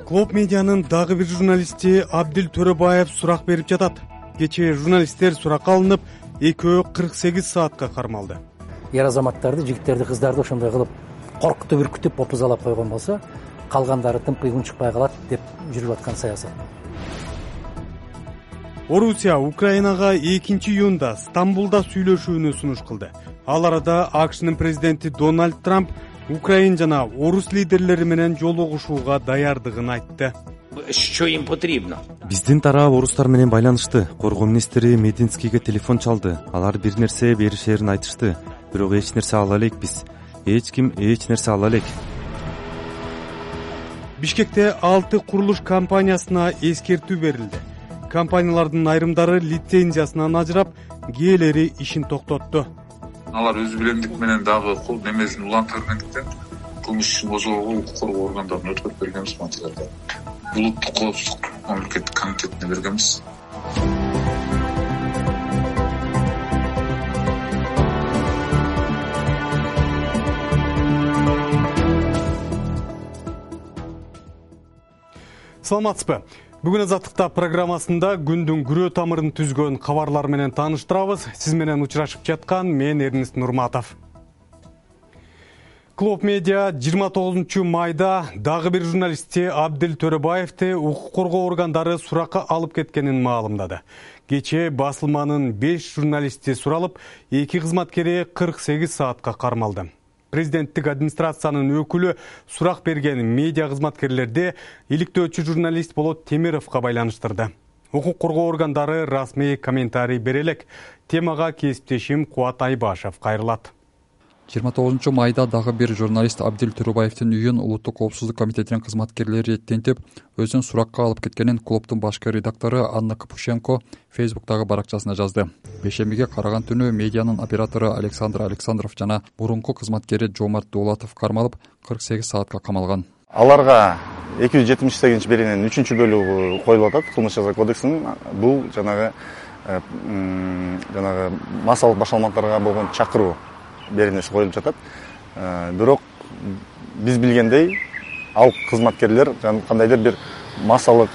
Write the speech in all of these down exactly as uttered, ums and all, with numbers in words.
Клоп медианын дагы бир журналисти Абдил Төрөбаев сурак берип жатат. Кечээ журналисттер суракка алынып, экөө кырк сегиз саатка кармалды. Ер азаматтарды, жигиттерди, кыздарды ошондой кылып коркутуп, үркүтүп, опузалап койгон болсо, калгандары тымпый унчукпай калат деп жүрүп аткан саясат. Орусия Украинага экинчи июнда Стамбулда сүйлөшүүнү сунуш кылды. Ал арада АКШнын президенти Дональд Трамп Украин жана орус лидерлери менен жолугушууга даярдыгын айтты. Что им потребно? Биздин тарап орустар менен байланышты. Коргоо министри Мединскийге телефон чалды. Алар бир нерсе беришерин айтышты. Бирок эч нерсе ала элекпиз. Эч ким эч нерсе ала элек. Бишкекте алты курулуш компаниясына эскертүү берилди. Компаниялардын айрымдары лицензиясынан ажырап, кээелери ишин токтотту. Алар өз билемдик менен дагы кул немесин улантыргандыктан кылмыш ишин козгоого укук коргоо органдарына өткөрүп бергенбиз материалды. Улуттук коопсуздук мамлекеттик комитетине бергенбиз. Саламатсызбы? Бүгүн Азаттыкта программасында күндүн күрөө тамырын түзгөн кабарлар менен тааныштырабыз. Сиз менен учурашып жаткан мен Эрнест Нурматов. Клоп медиа жыйырма тогузунчу майда дагы бир журналисти Абдил Төрөбаевди укук коргоо органдары суракка алып кеткенин маалымдады. Кечээ басылманын беш журналисти суралып, эки кызматкери кырк сегиз саатка кармалды. Президенттик администрациянын өкүлү сурак берген медиа кызматкерлерди иликтөөчү журналист Болот Темировго байланыштырды. Укук коргоо органдары расмий комментарий бере элек. Темага кесиптешим Кубат Айбашев кайрылат. жыйырма тогузунчу майда дагы бир журналист Абдил Төрөбаевдин үйүн Улуттук коопсуздук комитетинин кызматкерлери тентип, өзүн суракка алып кеткенин клубдун башкы редактору Анна Капушенко Фейсбуктагы баракчасына жазды. Бейшембиге караган түнү медианын оператору Александр Александров жана мурунку кызматкери Жомарт Дулатов кармалып, кырк сегиз саатка камалган. Аларга эки жүз жетимиш сегизинчи беренин үчүнчү бөлүгү коюлуп атат. Кылмыш жаза кодексинин бул жанагы жанагы массалык башаламаларга болгон чакыруу беренеси коюлуп жатат. Бирок биз билгендей, ал кызматкерлер кандайдыр бир массалык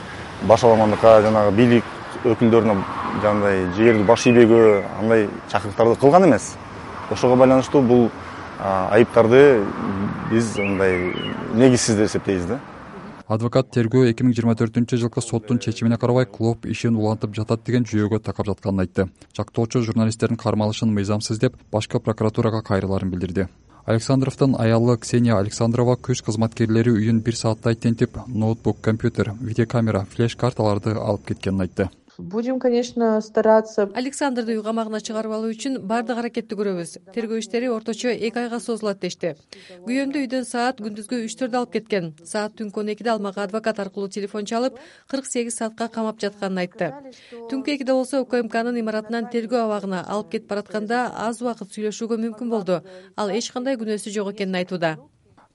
башаламандыкка, жанагы бийлик өкүлдөрүнө жандай жерди баш ийбегөө, андай чакырыктарды кылган эмес. Ошого байланыштуу бул айыптарды биз мындай негизсиз деп эсептейбиз да. Адвокат тергөө эки миң жыйырма төртүнчү жылкы соттун чечимине карабай клуб ишин улантып жатат деген жүйөгө такап жатканын айтты. Жактоочу журналисттердин кармалышын мыйзамсыз деп башкы прокуратурага кайрыларын билдирди. Александровдун аялы Ксения Александрова күч кызматкерлери үйүн бир сааттай тентип, ноутбук, компьютер, видеокамера, флеш карталарды алып кеткенин айтты. Будем, конечно, стараться. Александрды үй камагына чыгарып алуу үчүн бардык аракетти көрөбүз. Тергөө иштери орточо эки айга созулат дешти. Күйөөмдү үйдөн саат күндүзгү үчтөрдө алып кеткен. Саат түнкү он экиде ал мага адвокат аркылуу телефон чалып, кырк сегиз саатка камап жатканын айтты. Түнкү экиде болсо УКМКнын имаратынан тергөө абагына алып кетип баратканда аз убакыт сүйлөшүүгө мүмкүн болду. Ал эч кандай күнөөсү жок экенин айтууда.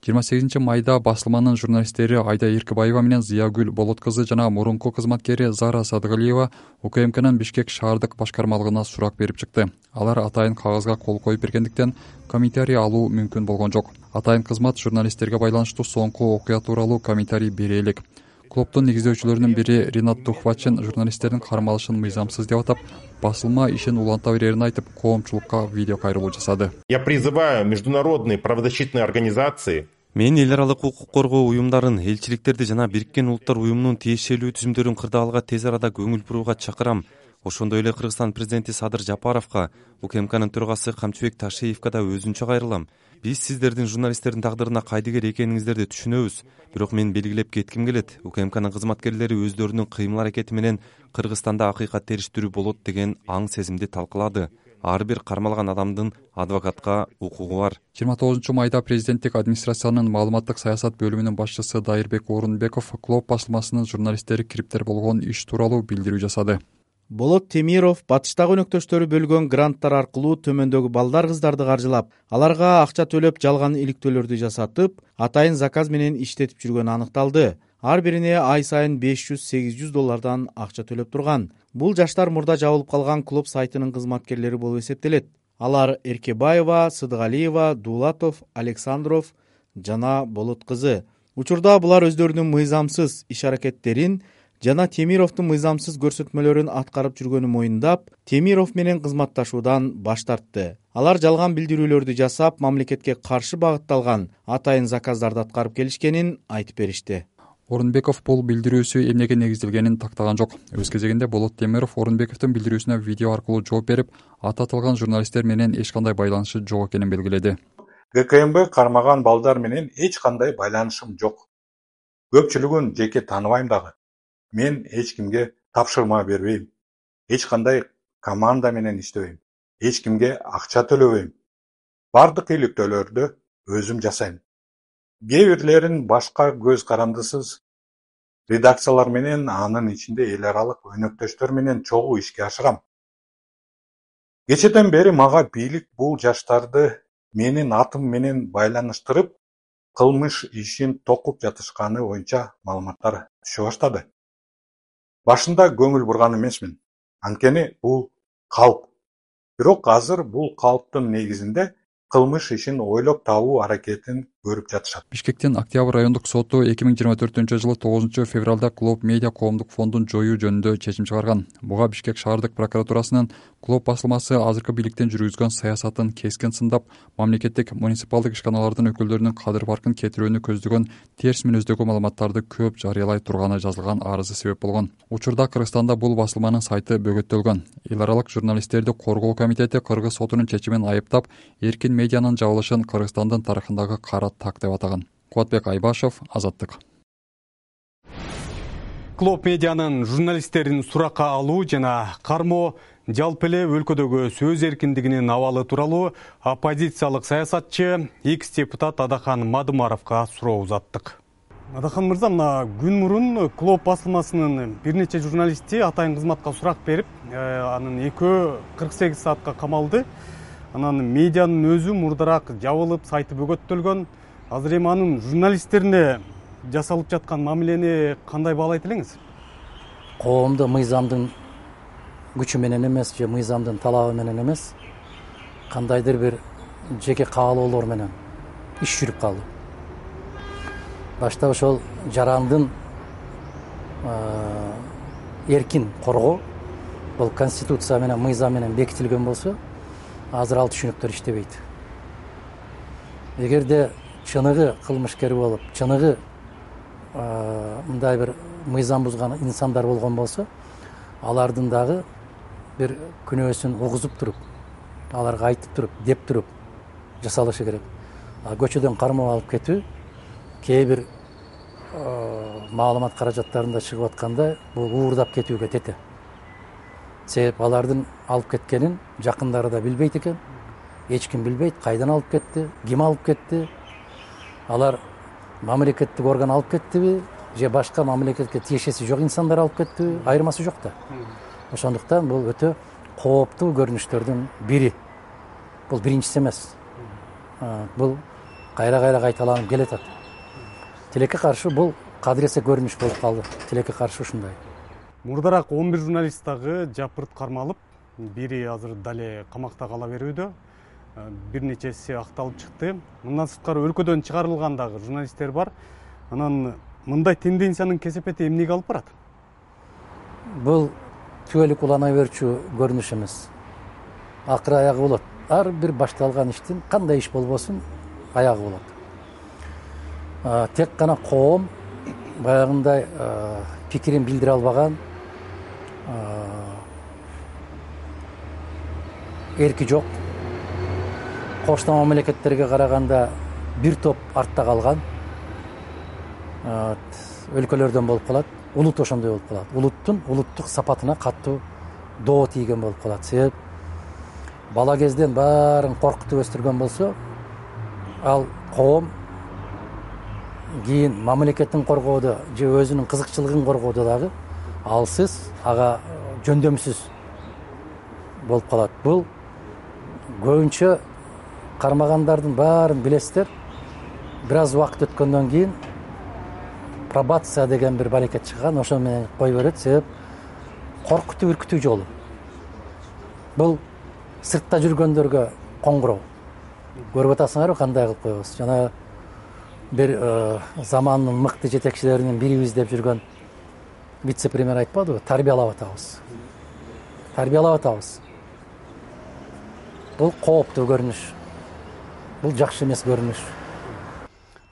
жыйырма сегизинчи майда басылманын журналисттери Айда Эркебаева менен Зиягүл Болот кызы жана мурунку кызматкери Зара Садыгалиева УКМКнын Бишкек шаардык башкармалыгына сурак берип чыкты. Алар атайын кагазга кол коюп бергендиктен комментарий алуу мүмкүн болгон жок. Атайын кызмат журналисттерге байланыштуу соңку окуя тууралуу комментарий бере элек. Клубдун негиздөөчүлөрүнүн бири Ринат Тухвачин журналисттердин кармалышын мыйзамсыз деп атап, басылма ишин уланта берерин айтып, коомчулукка видео кайрылуу жасады. Я призываю международные правозащитные организации. Мен эл аралык укук коргоо уюмдарын, элчиликтерди жана Бириккен Улуттар уюмунун тиешелүү түзүмдөрүн кырдаалга тез арада көңүл бурууга чакырам. Ошондой эле Кыргызстан президенти Садыр Жапаровго, УКМКнын төрагасы Камчыбек Ташиевге да өзүнчө кайрылам. Биз сиздердин журналисттердин тагдырына кайдыгер экениңиздерди түшүнөбүз. Бирок мен белгилеп кетким келет. УКМКнын кызматкерлери өздөрүнүн кыймыл аракети менен Кыргызстанда акыйкат териштирүү болот деген аң сезимди талкылады. Ар бир кармалган адамдын адвокатка укугу бар. жыйырма тогузунчу майда президенттик администрациянын маалыматтык саясат бөлүмүнүн башчысы Дайырбек Орунбеков Клоп басылмасынын журналисттери кириптер болгон иш тууралуу билдирүү жасады. Болот Темиров батыштагы өнөктөштөрү бөлгөн гранттар аркылуу төмөндөгү балдар кыздарды каржылап, аларга акча төлөп жалган иликтөөлөрдү жасатып, атайын заказ менен иштетип жүргөнү аныкталды. Ар бирине ай сайын беш жүз сегиз жүз доллардан акча төлөп турган. Бул жаштар мурда жабылып калган клуб сайтынын кызматкерлери болуп эсептелет. Алар Эркебаева, Сыдыгалиева, Дулатов, Александров, жана Болот кызы. Учурда булар өздөрүнүн мыйзамсыз иш аракеттерин жана Темировдун мыйзамсыз көрсөтмөлөрүн аткарып жүргөнүн моюндап, Темиров менен кызматташуудан баш тартты. Алар жалган билдирүүлөрдү жасап, мамлекетке каршы багытталган атайын заказдарды аткарып келишкенин айтып беришти. Орунбеков бул билдирүүсү эмнеге негизделгенин тактаган жок. Өз кезегинде Болот Темиров Орунбековдун билдирүүсүнө видео аркылуу жооп берип, аты аталган журналисттер менен эч кандай байланышы жок экенин белгиледи. Г К М Б кармаган балдар менен эч кандай байланышым жок. Көпчүлүгүн жеке тааныбайм дагы. Мен эч кимге тапшырма бербейм. Эч кандай команда менен иштебейм. Эч кимге акча төлөбөйм. Бардык иликтөөлөрдү өзүм жасайм. Кээ бирлерин башка көз карандысыз редакциялар менен, анын ичинде эл аралык өнөктөштөр менен чогуу ишке ашырам. Кечеден бери мага бийлик бул жаштарды менин атым менен байланыштырып, кылмыш ишин токуп жатышканы боюнча маалыматтар түшө баштады. Башында көңүл бурган эмесмин. Анткени бул калп. Бирок азыр бул калптын негизинде кылмыш ишин ойлоп табуу аракетин көрүп жатышат. Бишкектин Октябрь райондук соту эки миң жыйырма төртүнчү жылы тогузунчу февралда Клуб Медиа коомдук фондун жоюу жөнүндө чечим чыгарган. Буга Бишкек шаардык прокуратурасынын Клуб басылмасы азыркы бийликтин жүргүзгөн саясатын кескин сындап, мамлекеттик муниципалдык ишканалардын өкүлдөрүнүн кадыр баркын кетирүүнү көздөгөн терс мүнөздөгү маалыматтарды көп жарыялай турганы жазылган арызы себеп болгон. Учурда Кыргызстанда бул басылманын сайты бөгөттөлгөн. Эл аралык журналисттерди коргоо комитети Кыргыз сотунун чечимин айыптап, эркин медианын жабылышын Кыргызстандын тарыхындагы кара так деп атаган. Кубатбек Айбашев, Азаттык. Клуб Медианын журналисттерин суракка алуу жана кармоо жалпы эле өлкөдөгү сөз эркиндигинин абалы тууралуу оппозициялык саясатчы экс-депутат Адахан Мадымаровго суроо узаттык. Адахан мырза, мына күн мурун Клуб басылмасынын бир нече журналисти атайын кызматка сурак берип, анын экөө кырк сегиз саатка камалды. Анан медианын өзү мурдараак жабылып, сайты бөгөттөлгөн. Азыр эми анын журналисттерине жасалып жаткан мамилени кандай баалайт элеңиз? Коомду мыйзамдын күчү менен эмес, же мыйзамдын талабы менен эмес, кандайдыр бир жеке каалоолор менен иш жүрүп калды. Башта ошол жарандын эркин коргоо, бул конституция менен мыйзам менен бекитилген болсо, азыр ал түшүнүктөр иштебейт. Эгерде чыныгы кылмышкер болуп, чыныгы мындай бир мыйзам бузган инсандар болгон болсо, алардын дагы бир күнөөсүн угузуп туруп, аларга айтып туруп, деп туруп жасалышы керек. Көчөдөн кармоо алып кетүү кээ бир маалымат каражаттарында чыгып атканда бул уурдап кетүүгө тете. Себеп алардын алып кеткенин жакындары да билбейт экен. Эч ким билбейт, кайдан алып кетти, ким алып кетти. Алар мамлекеттик орган алып кеттиби, же башка мамлекетке тиешеси жок инсандар алып кеттиби, айырмасы жок да. Ошондуктан бул өтө кооптуу көрүнүштөрдүн бири. Бул биринчиси эмес. Бул кайра-кайра кайталанып келатат. Тилекке каршы бул кадыресе көрүнүш болуп калды. Тилекке каршы ушундай. Мурдараак он бир журналист дагы жапырт кармалып, бири азыр дале камакта кала берүүдө, бир нечеси акталып чыкты. Мындан сырткары өлкөдөн чыгарылган дагы журналисттер бар. Анан мындай тенденциянын кесепети эмнеге алып барат? Бул түбөлүк улана берчү көрүнүш эмес. Акыры аягы болот. Ар бир башталган иштин кандай иш болбосун аягы болот. Тек гана коом баягындай пикирин билдире албаган, эрки жок, кошто мамлекеттерге караганда бир топ артта калган өлкөлөрдөн болуп калат. Улут ошондой болуп калат. Улуттун улуттук сапатына катуу доо тийген болуп калат. Себеп бала кезден баарын коркутуп өстүргөн болсо, ал коом кийин мамлекеттин коргоодо же өзүнүн кызыкчылыгын коргоодо дагы алсыз, ага жөндөмсүз болуп калат. Бул көбүнчө кармагандардын баарын билесиздер. Бир аз убакыт өткөндөн кийин пробация деген бир баракет чыккан, ошо менен кой берет. Себеп коркутуу, үркүтүү жолу. Бул сыртта жүргөндөргө коңгуроо. Көрүп атасыңарбы кандай кылып койбос? Жана бир замандын мыкты жетекчилеринин бирибиз деп жүргөн вице премьер айтпадыбы, тарбиялап атабыз. Тарбиялап атабыз. Бул кооптуу көрүнүш. Бул жакшы эмес көрүнүш.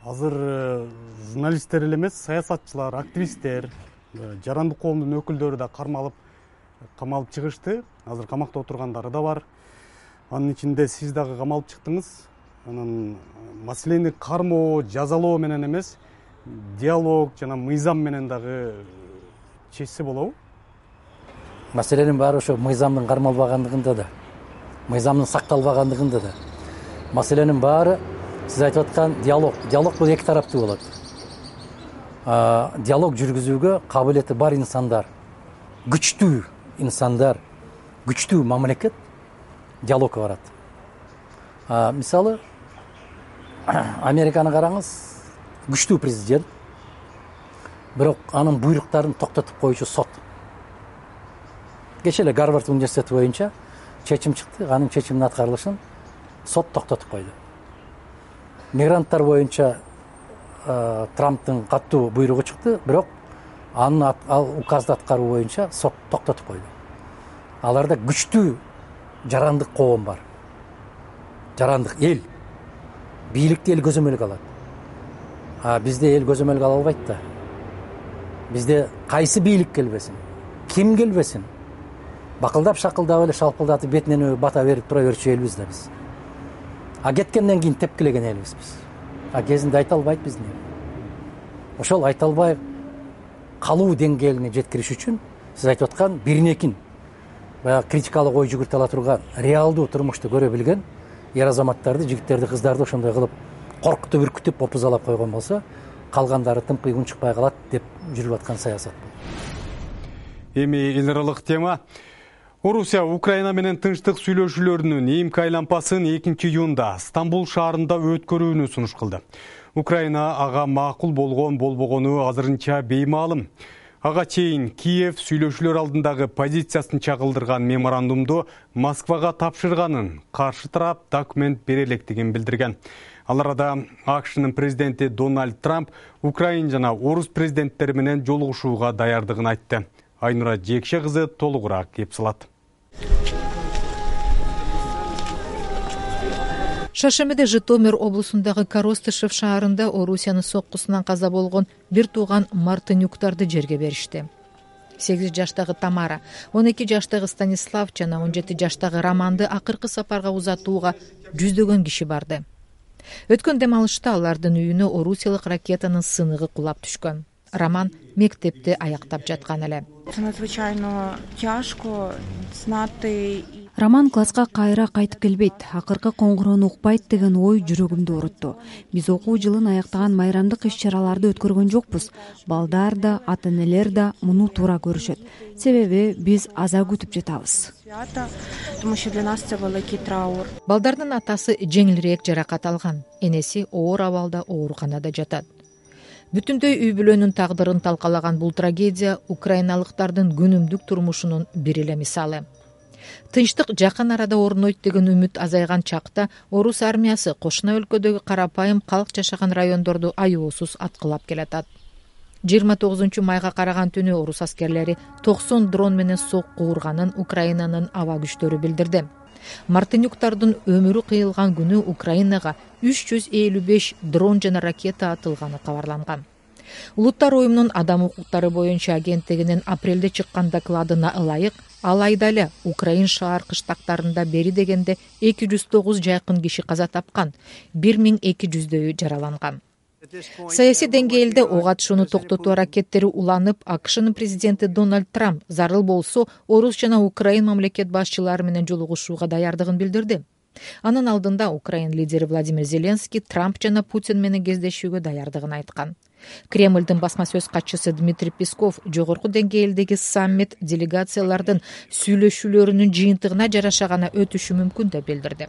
Азыр журналисттер эле эмес, саясатчылар, активисттер, жарандык коомдун өкүлдөрү да кармалып, камалып чыгышты. Азыр камакта отургандары да бар. Анын ичинде сиз дагы камалып чыктыңыз. Анан маселени кармоо, жазалоо менен эмес, диалог жана мыйзам менен дагы чечсе болобу? Маселенин баары ошо мыйзамдын кармалбагандыгында да, мыйзамдын сакталбагандыгында да. Маселенин баары сиз айтып аткан диалог. Диалог бул эки тараптуу болот. Диалог жүргүзүүгө кабылети бар инсандар, күчтүү инсандар, күчтүү мамлекет диалогко барат. Мисалы, Американы караңыз, күчтүү президент, бирок анын буйруктарын токтотуп коюучу сот. Кечээ эле Гарвард университети боюнча чечим чыкты, анын чечиминин аткарылышын сот токтотуп койду. Мигранттар боюнча Трамптын каттуу буйругу чыкты, бирок анын ал указды аткаруу боюнча сот токтотуп койду. Аларда күчтүү жарандык коом бар. Жарандык эл. Бийликти эл көзөмөлгө алат. А бизде эл көзөмөлгө ала албайт да. Бизде кайсы бийлик келбесин, ким келбесин, бакылдап шакылдап эле шалпылдатып бетинен бата берип тура берчү элбиз да биз. А кеткенден кийин тепкилеген элбиз биз. А кезинде айта албайт биздин эл. Ошол айта албай калуу деңгээлине жеткириш үчүн сиз айтып аткан биринекин баягы критикалык ой жүгүртө ала турган, реалдуу турмушту көрө билген ер азаматтарды, жигиттерди, кыздарды ошондой кылып коркутуп, үркүтүп, опузалап койгон болсо, калгандары тымкыйгын чыкпай калат деп жүрүп аткан саясат. Эми эл аралык тема. Орусия Украина менен тынчтык сүйлөшүүлөрүнүн ийимки айланпасын экинчи июнда Стамбул шаарында өткөрүүнү сунуш кылды. Украина ага макул болгон болбогону азырынча беймаалым. Ага чейин Киев сүйлөшүүлөр алдындагы позициясын чагылдырган меморандумду Москвага тапшырганын, каршы тарап документ бере электигин билдирген. Ал арада АКШнын президенти Дональд Трамп Украин жана орус президенттери менен жолугушууга даярдыгын айтты. Айнура Жекше кызы толугураак кеп салат. Шаршемеде Житомир облусундагы Коростышев шаарында Орусиянын соккусунан каза болгон бир тууган Мартынюктарды жерге беришти. сегиз жаштагы Тамара, он эки жаштагы Станислав жана он жети жаштагы Романды акыркы сапарга узатууга жүздөгөн киши барды. Өткөн дем алышта алардын үйүнө орусиялык ракетанын сыныгы кулап түшкөн. Роман мектепти аяктап жаткан эле. Роман класска кайра кайтып келбейт, акыркы коңгуроону укпайт деген ой жүрөгүмдү оорутtu. Биз окуу жылын аяктаган майрамдык иш-чараларды өткөргөн жокпуз. Балдар да, ата-энелер да муну туура көрүшөт. Себеби биз аза күтүп жатабыз. Балдардын атасы жеңилирээк жаракат алган, энеси оор абалда ооруканада жатат. Бүтүндөй үй бүлөнүн тагдырын талкалаган бул трагедия украиналыктардын күнүмдүк турмушунун бир эле мисалы. Тынчтык жакын арада орнойт деген үмүт азайган чакта орус армиясы кошуна өлкөдөгү карапайым калк жашаган райондорду аюусуз аткылап келатат. жыйырма тогузунчу майга караган түнү орус аскерлери токсон дрон менен сокку урганын Украинанын аба күчтөрү билдирди. Мартынюктардын өмүрү кыйылган күнү Украинага үч жүз элүү беш дрон жана ракета атылганы кабарланган. Улуттар уюмунун адам укуктары боюнча агенттигинин апрелде чыккан докладына ылайык, алайда эле Украин шаар кыштактарында бери дегенде эки жүз тогуз жайкын киши каза тапкан, бир миң эки жүздөйү жараланган. Саясий деңгээлде ок атышууну токтотуу аракеттери уланып, АКШнын президенти Дональд Трамп зарыл болсо орус жана Украин мамлекет башчылары менен жолугушууга даярдыгын билдирди. Анын алдында Украин лидери Владимир Зеленский Трамп жана Путин менен кездешүүгө даярдыгын айткан. Кремлдин басма сөз катчысы Дмитрий Песков жогорку деңгээлдеги саммит делегациялардын сүйлөшүүлөрүнүн жыйынтыгына жараша гана өтүшү мүмкүн деп билдирди.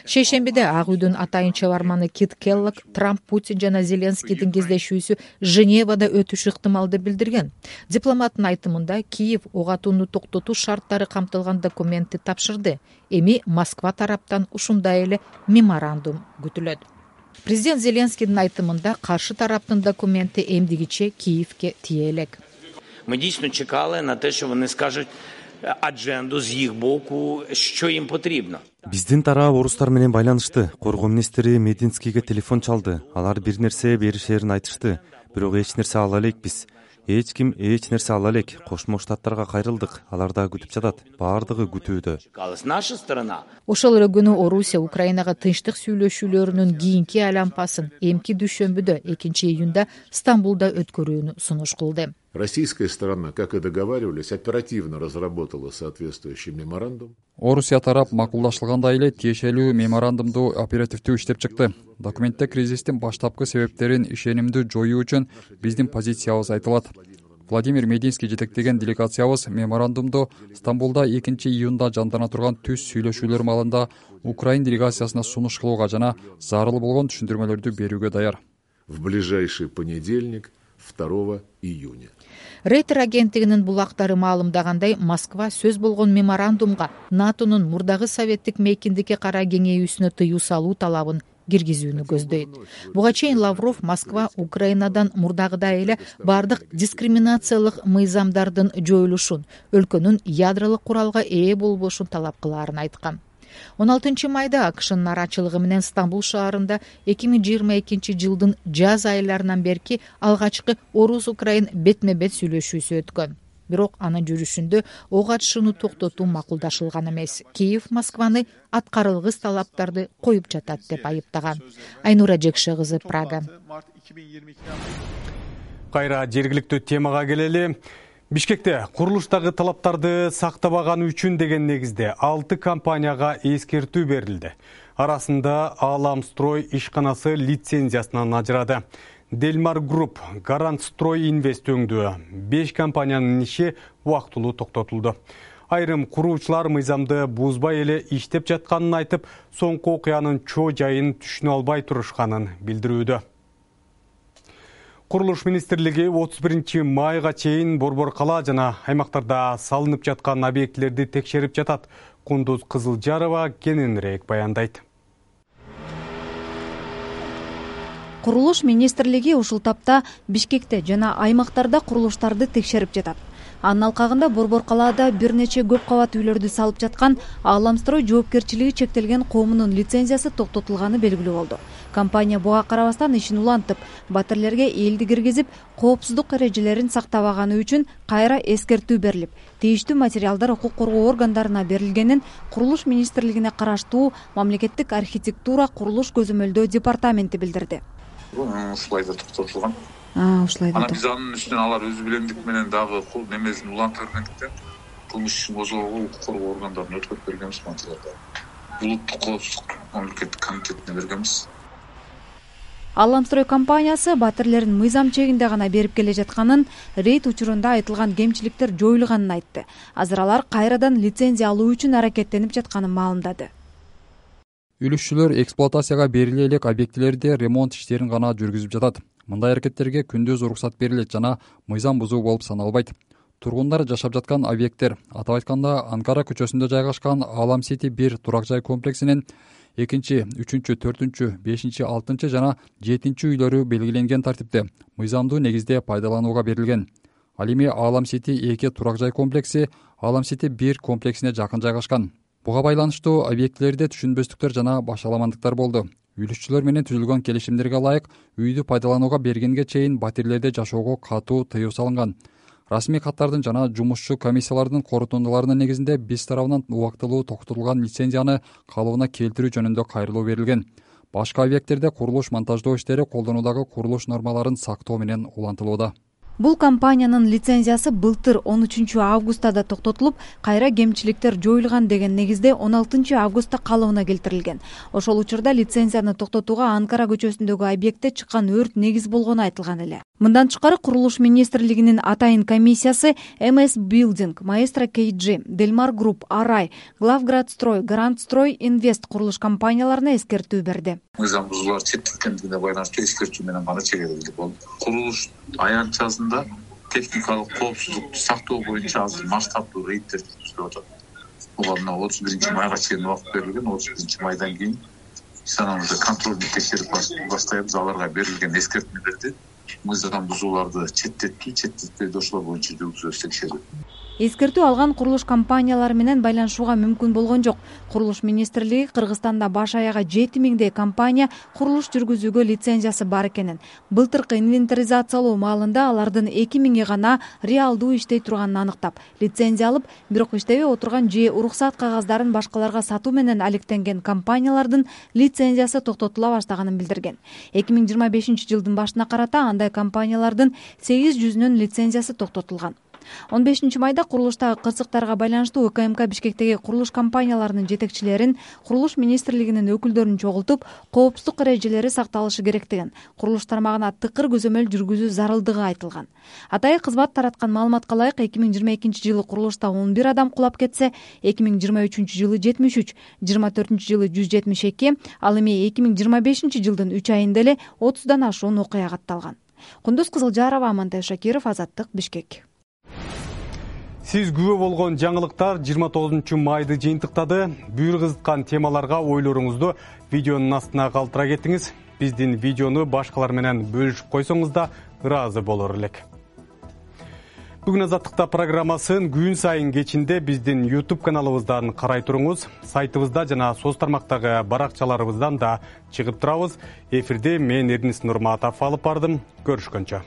Шейшембиде Ак үйдүн атайын чабарманы Кит Келлог Трамп, Путин жана Зеленскийдин кездешүүсү Женевада өтүшү ыктымал деп билдирген. Дипломаттын айтымында Киев ок атууну токтотуу шарттары камтылган документти тапшырды. Эми Москва тараптан ушундай эле меморандум күтүлөт. Президент Зеленскийдин айтымында каршы тараптын документи эмдигиче Киевке тие элек. Ми дійсно чекали на те, що вони скажуть адженду з їх боку, що їм потрібно. Биздин тарап орустар менен байланышты. Коргоо министри Мединскийге телефон чалды. Алар бир нерсе беришерин айтышты. Бирок эч нерсе ала элекпиз. Эч ким эч нерсе ала элек. Кошмо Штаттарга кайрылдык. Алар да күтүп жатат. Баардыгы күтүүдө. Наша сторона. Ошол эле күнү Орусия Украинага тынчтык сүйлөшүүлөрүнүн кийинки айлампасын эмки дүйшөмбүдө экинчи июнда Стамбулда өткөрүүнү сунуш кылды. Российская сторона, как и договаривались, оперативно разработала соответствующий меморандум. Орусия тарап макулдашылгандай эле тиешелүү меморандумду оперативдүү иштеп чыкты. Документте кризистин баштапкы себептерин ишенимдүү жоюу үчүн биздин позициябыз айтылат. Владимир Мединский жетектеген делегациябыз меморандумду Стамбулда экинчи июнда жандана турган түз сүйлөшүүлөр маалында Украин делегациясына сунуш кылууга жана зарыл болгон түшүндүрмөлөрдү берүүгө даяр. В ближайший понедельник, второго июня. Рейтер агенттигинин булактары маалымдагандай, Москва сөз болгон меморандумга НАТОнун мурдагы советтик мейкиндикке кара кеңейүүсүнө тыюу салуу талабын киргизүүнү көздөйт. Буга чейин Лавров Москва Украинадан мурдагыдай эле бардык дискриминациялык мыйзамдардын жоюлушун, өлкөнүн ядролук куралга ээ болбошун талап кылаарын айткан. он алтынчы майда АКШнын нарачылыгы менен Стамбул шаарында эки миң жыйырма экинчи жылдын жаз айларынан берки алгачкы Орус-Украин бетме-бет сүйлөшүүсү өткөн. Бирок анын жүрүшүндө ок атышууну токтотуу макулдашылган эмес. Киев Москваны аткарылгыс талаптарды коюп жатат деп айыптаган. Айнура Жекше кызы, Прага. Кайра жергиликтүү темага келели. Бишкекте курулуштагы талаптарды сактабаганы үчүн деген негизде алты компанияга эскертүү берилди. Арасында Аламстрой ишканасы лицензиясынан ажырады. Делмар Групп, Гарант Строй Инвест өңдүү беш компаниянын иши убактылуу токтотулду. Айрым куруучулар мыйзамды бузбай эле иштеп жатканын айтып, соңку окуянын чоо жайын түшүнө албай турушканын билдирүүдө. Курулуш министрлиги отуз биринчи майга чейин Борбор кала жана аймактарда салынып жаткан объектилерди текшерип жатат. Кундуз Кызылжарова кененирээк баяндайт. Курулуш министрлиги ушул тапта Бишкекте жана аймактарда курулуштарды текшерип жатат. Анын алкагында Борбор калаада бир нече көп кабат үйлөрдү салып жаткан Аламстрой жоопкерчилиги чектелген коомунун лицензиясы токтотулганы белгилүү болду. Компания буга карабастан ишин улантып, батирлерге элди киргизип, коопсуздук эрежелерин сактабаганы үчүн кайра эскертүү берилип, тийиштүү материалдар укук коргоо органдарына берилгенин Курулуш министрлигине караштуу Мамлекеттик архитектура курулуш көзөмөлдөө департаменти билдирди. Ушулайда токтотулган. Ушулайда. Анан биз анын үстүнөн алар өз билемдик менен дагы кул немесин улантыргандыктан кылмыш ишин козгоого укук коргоо органдарына өткөрүп бергенбиз материалдарды. Улуттук коопсуздук мамлекеттик комитетине бергенбиз. Аламстрой компаниясы батирлерин мыйзам чегинде гана берип келе жатканын, рейд учурунда айтылган кемчиликтер жоюлганын айтты. Азыр алар кайрадан лицензия алуу үчүн аракеттенип жатканын маалымдады. Үлүшчүлөр эксплуатацияга бериле элек объектилерде ремонт иштерин гана жүргүзүп жатат. Мындай аракеттерге күндүз уруксат берилет жана мыйзам бузуу болуп саналбайт. Тургундар жашап жаткан объекттер, атап айтканда Анкара көчөсүндө жайгашкан Алам Сити бир турак жай комплексинин экинчи, үчүнчү, төртүнчү, бешинчи, алтынчы жана жетинчи үйлөрү белгиленген тартипте мыйзамдуу негизде пайдаланууга берилген. Ал эми Алам Сити эки турак жай комплекси Алам Сити бир комплексине жакын жайгашкан. Буга байланыштуу объектилерде түшүнбөстүктөр жана башаламандыктар болду. Үлүшчүлөр менен түзүлгөн келишимдерге ылайык үйдү пайдаланууга бергенге чейин батирлерде жашоого катуу тыюу салынган. Расмий каттардын жана жумушчу комиссиялардын корутундуларынын негизинде биз тарабынан убактылуу токтотулган лицензияны калыбына келтирүү жөнүндө кайрылуу берилген. Башка объекттерде курулуш монтаждоо иштери колдонуудагы курулуш нормаларын сактоо менен улантылууда. Бул компаниянын лицензиясы былтыр он үчүнчү августта да токтотулуп, кайра кемчиликтер жоюлган деген негизде он алтынчы августта калыбына келтирилген. Ошол учурда лицензияны токтотууга Анкара көчөсүндөгү объектте чыккан өрт негиз болгону айтылган эле. Мындан тышкары Курулуш министрлигинин атайын комиссиясы эм эс Building, Maestro кей джи, Delmar Group, Арай, Главградстрой, Гарантстрой Инвест курулуш компанияларына эскертүү берди. Мыйзам бузуулар чектелгендигине байланыштуу эскертүү менен гана чегерилди болду. Курулуш аянтчасында техникалык коопсуздукту сактоо боюнча азыр масштабдуу рейддер жүргүзүлүп атат. Буга мына отуз биринчи майга чейин убакыт берилген. отуз биринчи майдан кийин станогубузда контролдук текшерип баштайбыз. Аларга берилген эскертмелерди, мыйзам бузууларды четтетпей, четтетпейди ошолор боюнча жүргүзөбүз текшерүү. Эскертүү алган курулуш компаниялары менен байланышууга мүмкүн болгон жок. Курулуш министрлиги Кыргызстанда баш аягы жети миңдей компания курулуш жүргүзүүгө лицензиясы бар экенин, былтыркы инвентаризациялоо маалында алардын эки миңи гана реалдуу иштей турганын аныктап, лицензия алып, бирок иштебей отурган же уруксат кагаздарын башкаларга сатуу менен алектенген компаниялардын лицензиясы токтотула баштаганын билдирген. эки миң жыйырма бешинчи жылдын башына карата андай компаниялардын сегиз жүзүнүн лицензиясы токтотулган. он бешинчи майда курулуштагы кырсыктарга байланыштуу УКМК Бишкектеги курулуш компанияларынын жетекчилерин, курулуш министрлигинин өкүлдөрүн чогултуп, коопсуздук эрежелери сакталышы керектигин, курулуш тармагына тыкыр көзөмөл жүргүзүү зарылдыгы айтылган. Атайын кызмат тараткан маалыматка ылайык эки миң жыйырма экинчи жылы курулушта он бир адам кулап кетсе, эки миң жыйырма үчүнчү жылы жетимиш үч, жыйырма төртүнчү жылы жүз жетимиш эки, ал эми эки миң жыйырма бешинчи жылдын үч айында эле отуздан ашуун окуя катталган. Кундуз Кызылжарова, Амантай Шакиров, Азаттык, Бишкек. Сиз күбө болгон жаңылыктар жыйырма тогузунчу майды жыйынтыктады. Бүйүр кызыткан темаларга ойлоруңузду видеонун астына калтыра кетиңиз. Биздин видеону башкалар менен бөлүшүп койсоңуз да ыраазы болор элек. Бүгүн Азаттыкта программасын күн сайын кечинде биздин YouTube каналыбыздан карай туруңуз. Сайтыбызда жана соц тармактагы баракчаларыбыздан да чыгып турабыз. Эфирде мен Эрнис Нурматов алып бардым. Көрүшкөнчө.